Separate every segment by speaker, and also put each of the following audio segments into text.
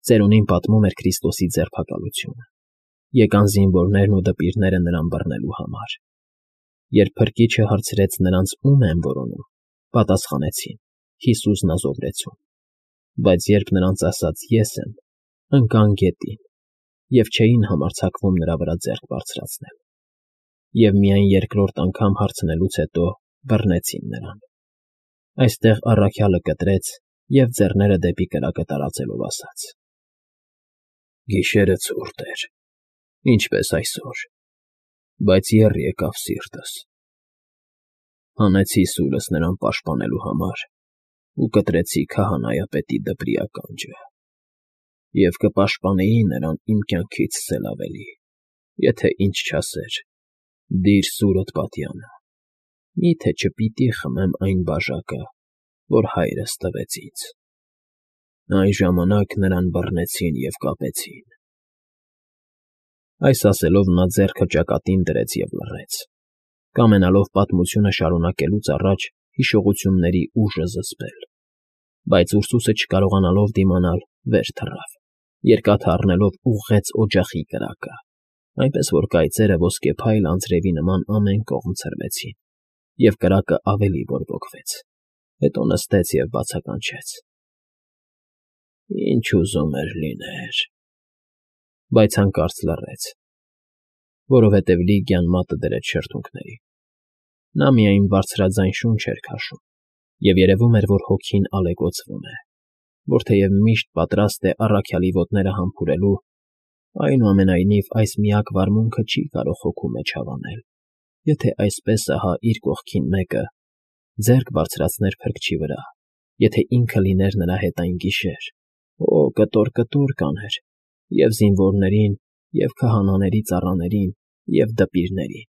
Speaker 1: Ծերունին պատմում էր Քրիստոսի ձերբակալությունը, եկան զինվորներն ու դպիրները նրան բռնելու համար։ Երբ փրկիչը հարցրեց նրանց ում են որոնում, պատասխանեցին. Հիսուս Նազովրեցուն։ Բայց երբ նրանց ասաց ես եմ, ընկան գետին և չէին համարձակվում նրա վրա ձեռք բարձրացնել։ Եվ միայն երկրորդ անգամ հարցնելուց հետո բռնեցին նրան։ Այստեղ առաքյալը կտրեց և ձեռները դեպի կրակը տարածելով ասաց. Գիշերը ցուրտ էր, ինչպես այսօր, բայց եռ եկավ սիրտս։ Հանեցի սուրս նրան պաշտպանելու համար ու կտրեցի քահանայապետի դպրի ականջը։ Եվ կպաշտպանեի նրան իմ կյանքից էլ ավելի, եթե ինչ չասեր. դիր սուրդ պատյանը, մի՞թե չպիտի խմեմ այն բաժակը, որ հայրս տվեց ինձ։ Այն ժամանակ նրան բռնեցին և կապեցին։ Այս ասելով նա ձեռքը ճակատին դրեց և լռեց, կամենալով պատմությունը շարունակելուց առաջ հիշողությունների ուժը զսպել։ Բայց Ուրսուսը չկարողանալով դիմանալ, վեր թռավ, երկաթը առնելով ուղղեց օջախի կրակը, այնպես որ կայծերը ոսկեփայլ անձրևի նման ամեն կողմ ցրվեցին, և կրակը ավելի բորբոքվեց, հետո նստեց և բացականչեց. Ինչ ուզում էր լիներ… Բայց հանկարծ լռեց, որովհետև Լիգիան մատը դրեց շրթունքների։ Նա միայն բարձրաձայն շունչ էր քաշում, և երևում էր, որ հոգին ալեկոծվում է, որ թեև միշտ պատրաստ է առաքյալի ոտները համբուրելու, այնուամենայնիվ այս միակ վարմունքը չի կարող հոգու մեջ հավանել, եթե այսպես ահա իր կողքին մեկը ձեռք բարձրացներ փրկչի վրա, եթե ինքը լիներ նրա հետ այն գիշեր, կտոր կաներ և զինվորներին, և քահանաների ծառաներին, և դպիրներին։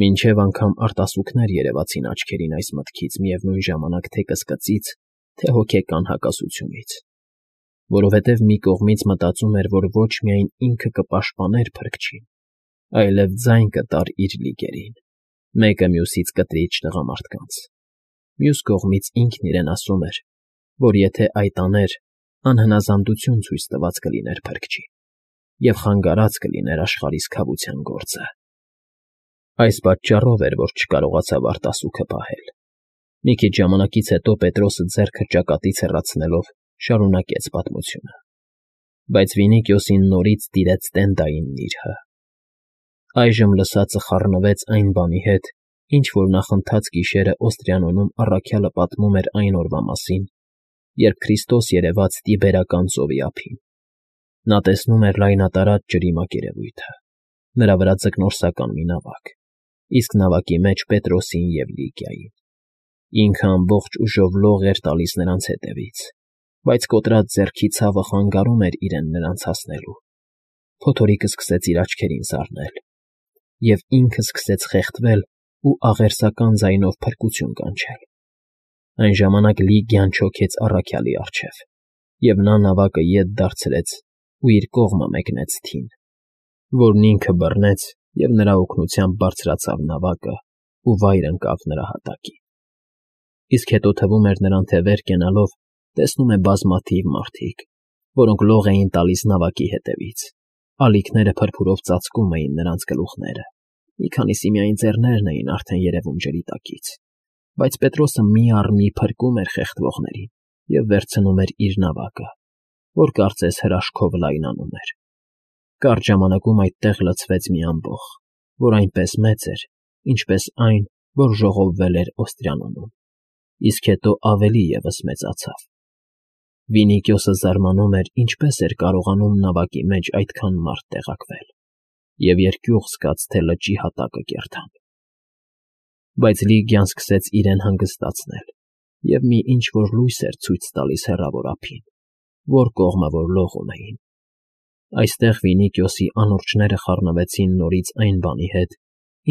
Speaker 1: Մինչև անգամ արտասուքներ երևացին աչքերին այս մտքից միևնույն ժամանակ թե կսկծից, թե հոգեկան հակասությունից, որովհետև մի կողմից մտածում էր, որ ոչ միայն ինքը կպաշտպաներ փրկչին, այլև ձայն կտար իր լիգերին, մեկը մյուսից կտրիչ տղամարդկանց։ Մյուս կողմից ինքն իրեն ասում էր, որ եթե այդ աներ, անհնազանդություն ցույց տված կլիներ փրկչին և խանգարած կլիներ աշխարհի սքավության գործը։ Այս պատճառով էր, որ չկարողացավ արտասուքը պահել։ Մի քիչ ժամանակից հետո Պետրոսը ձեռքը ճակատից հեռացնելով շարունակեց պատմությունը։ Բայց Վինիկիոսին նորից տիրեց տենդային նիրհը։ Այժմ լսածը խառնվեց այն բանի հետ, ինչ որ նախընթաց գիշերը Օստրիանոնում առաքյալը պատմում էր այն օրվա մասին, երբ Քրիստոս երևաց Տիբերական ծովի ափին։ Նա տեսնում էր լայնատարած ջրի մակերևույթը, նրա վրա ձկնորսական մի նավակ, իսկ նավակի մեջ Պետրոսին և Լիգիային։ Ինքը ամբողջ ուժով լող էր տալիս նրանց հետևից, բայց կոտրած ձեռքի ցավը խանգարում էր իրեն նրանց հասնելու։ Փոթորիկը սկսեց իր աչքերին զարնել, և ինքը սկսեց խեղդվել ու աղերսական ձայնով փրկություն կանչել։ Այն ժամանակ Լիգիան չոքեց առաքյալի առջև, և նա նավակը ետ դարձրեց ու իր կողմը մեկնեց թին, որն ինքը բռնեց և նրա օգնությամբ բարձրացավ նավակը ու վայր ընկավ նրա հատակին։ Իսկ հետո թվում էր նրան, թե վեր կենալով տեսնում է բազմաթիվ մարդիկ, որոնք լող էին տալիս նավակի հետևից, ալիքները փրփուրով ծածկում էին նրանց գլուխները, մի քանիսի միայն ձեռներն էին արդեն երևում ջրի տակից, բայց Պետրոսը մի առ մի փրկում էր խեղդվողներին և վերցնում էր իր նավակը, որ կարծես հրաշքով լայնանում էր։ Կարճ ժամանակում այդտեղ լցվեց մի ամբոխ, որ այնպես մեծ էր, ինչպես այն, որ ժողովվել էր Օստրիանոնում, իսկ հետո ավելի ևս մեծացավ։ Վինիկիոսը զարմանում էր, ինչպես էր կարողանում նավակի մեջ այդքան մարդ տեղակվել, և երկյուղ զգաց, թե լճի հատակը կերտան։ Բայց Լիգիան սկսեց իրեն հանգստացնել և մի ինչ֊որ լույս էր ցույց տալիս հեռավոր ափին, որ կողմը որ լողում էին։ Այստեղ Վինիկիոսի անուրջները խառնվեցին նորից այն բանի հետ,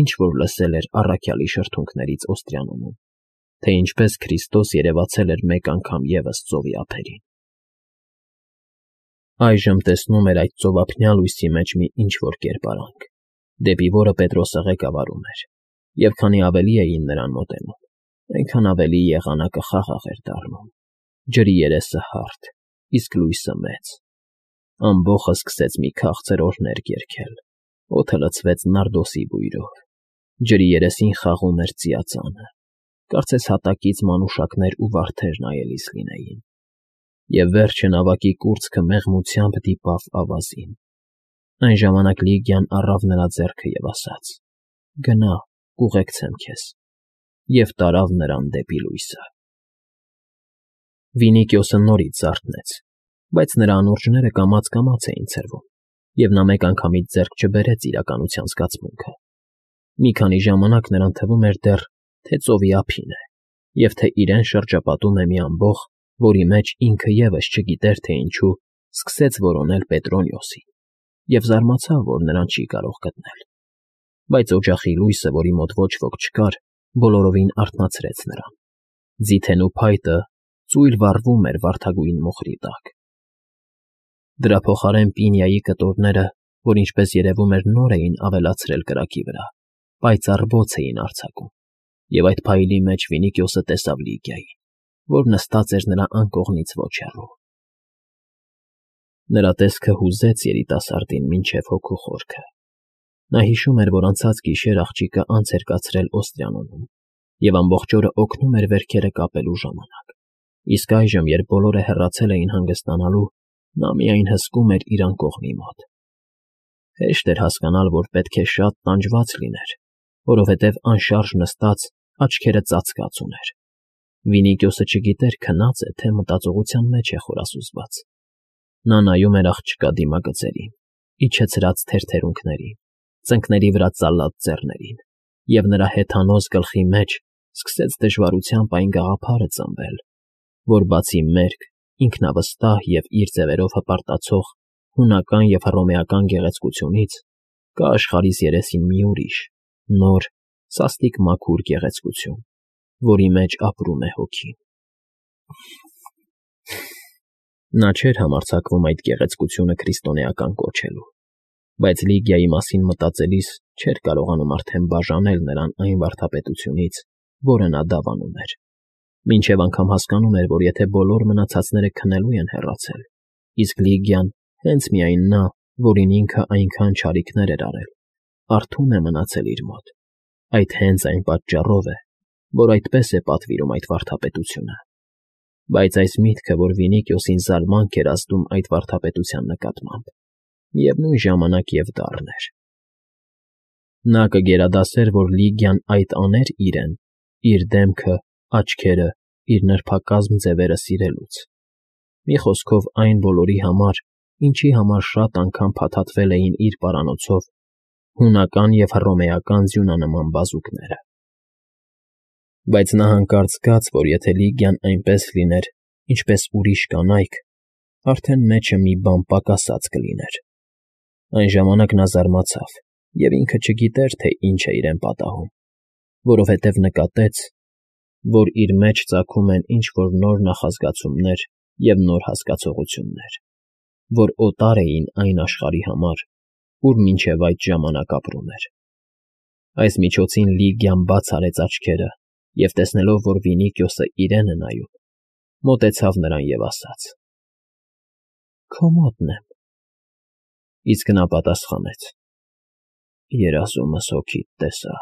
Speaker 1: ինչ որ լսել էր առաքյալի շրթունքներից Օստրիանոնում, թե ինչպես Քրիստոս երևացել էր մեկ անգամ ևս ծովի ափերին։ Այժմ տեսնում էր այդ ծովափնյա լույսի մեջ մի ինչ֊որ կերպարանք, դեպի որը Պետրոսը ղեկավարում էր, և քանի ավելի էին նրան մոտենում, այնքան ավելի եղանակը խաղաղ էր դառնում, ջրի երեսը հարթ, իսկ լույսը մեծ։ Ամբոխը սկսեց մի քաղցր օրհներգ երգել, օդը լցվեց նարդոսի բույրով, ջրի երեսին խաղում էր ծիածանը, կարծես հատակից մանուշակներ ու վարդեր նայելիս լինեին, և վերջը նավակի կուրծքը մեղմությամբ դիպավ ավազին։ Այն ժամանակ Լիգիան առավ նրա ձեռքը և ասաց. «Գնա, կուղեկցեմ քեզ», և տարավ նրան դեպի լույսը։ Վինիկիոսը նորից զարթնեց, բայց նրա անուրջները կամաց֊կամաց էին ցրվում, և նա մեկ անգամից ձեռք չբերեց իրականության զգացմունքը։ Մի քանի ժամանակ նրան թվում էր դեռ, թե ծովի ափին է, և թե իրեն շրջապատում է մի ամբոխ, որի մեջ ինքը ևս չգիտեր, թե ինչու սկսեց որոնել Պետրոնիոսին, և զարմացավ, որ նրան չի կարող գտնել։ Բայց օջախի լույսը, որի մոտ ոչ ոք չկար, բոլորովին արթնացրեց նրան։ Ձիթենու փայտը ծույլ վառվում էր վարդագույն մոխրի տակ։ Դրա փոխարեն պինիայի կտորները, որ ինչպես երևում էր նոր էին ավելացրել կրակի վրա, պայծառ բոց էին արձակում, և այդ փայլի մեջ Վինիկիոսը տեսավ Լիգիային, որ նստած էր նրա անկողնից ոչ հեռու։ Նրա տեսքը հուզեց երիտասարդին մինչև հոգու խորքը։ Նա հիշում էր, որ անցած գիշեր աղջիկը անց էր կացրել Օստրիանոնում և ամբողջ օրը օգնում էր վերքերը կապելու ժամանակ, իսկ այժմ, երբ բոլորը հեռացել էին հանգստանալու, նա միայն հսկում էր իր անկողնի մոտ։ Հեշտ էր հասկանալ, որ պետք է շատ տանջված լիներ, որովհետև անշարժ նստած աչքերը ծածկած ուներ։ Վինիկիոսը չգիտեր քնած է, թե մտածողության մեջ է խորասուզված։ Նա նայում էր աղջկա դիմագծերին, իջեցրած թերթերունքներին, ծնկների վրա ծալած ձեռներին, և նրա հեթանոց գլխի մեջ սկսեց դժվարությամբ այն գաղափարը ծնվել, որ բացի մերկ, ինքնավստահ և իր ձևերով հպարտացող հունական և հռոմեական գեղեցկությունից, կա աշխարհիս երեսին մի ուրիշ, նոր, սաստիկ մաքուր գեղեցկություն, որի մեջ ապրում է հոգին։ Նա չէր համարձակվում այդ գեղեցկությունը քրիստոնեական կոչելու, բայց Լիգիայի մասին մտածելիս չէր կարողանում արդեն բաժանել նրան այն վարդապետությունից, որը նա դավանում էր, մինչև անգամ հասկանում էր, որ եթե բոլոր մնացածները քնելու են հեռացել, իսկ Լիգիան, հենց միայն նա, որին ինքը այնքան չարիքներ էր արել, արթուն է մնացել իր մոտ, այդ հենց այն պատճառով է, որ այդպես է պատվիրում այդ վարդապետությունը։ Բայց այս միտքը, որ Վինիկիոսին զարմանք էր ազդում այդ վարդապետության նկատմամբ, միևնույն ժամանակ և դառն էր։ Նա կգերադասեր, որ Լիգիան այդ աներ իրեն, իր դեմքը, աչքերը, իր նրբակազմ ձևերը սիրելուց։ Մի խոսքով այն բոլորի համար, ինչի համար շատ անգամ փաթաթվել էին իր պարանոցով հունական և հռոմեական ձյունանման բազուկները։ Բայց նա հանկարծ զգաց, որ եթե Լիգիան այնպես լիներ, ինչպես ուրիշ կանայք, արդեն մեջը մի բան պակասած կլիներ։ Այն ժամանակ նա զարմացավ և ինքը չգիտեր, թե ինչ է իրեն պատահում, որովհետև նկատեց, որ իր մեջ ծագում են ինչ֊որ նոր նախազգացումներ և նոր հասկացողություններ, որ օտար էին այն աշխարհի համար, ուր մինչև այդ ժամանակ ապրում էր։ Այս միջոցին Լիգիան բաց արեց աչքերը և, տեսնելով, որ Վինիկիոսը իրեն է նայում, մոտեցավ նրան և ասաց. «Քո մոտն եմ»։ Իսկ նա պատասխանեց. «Երազումս հոգիդ տեսա»։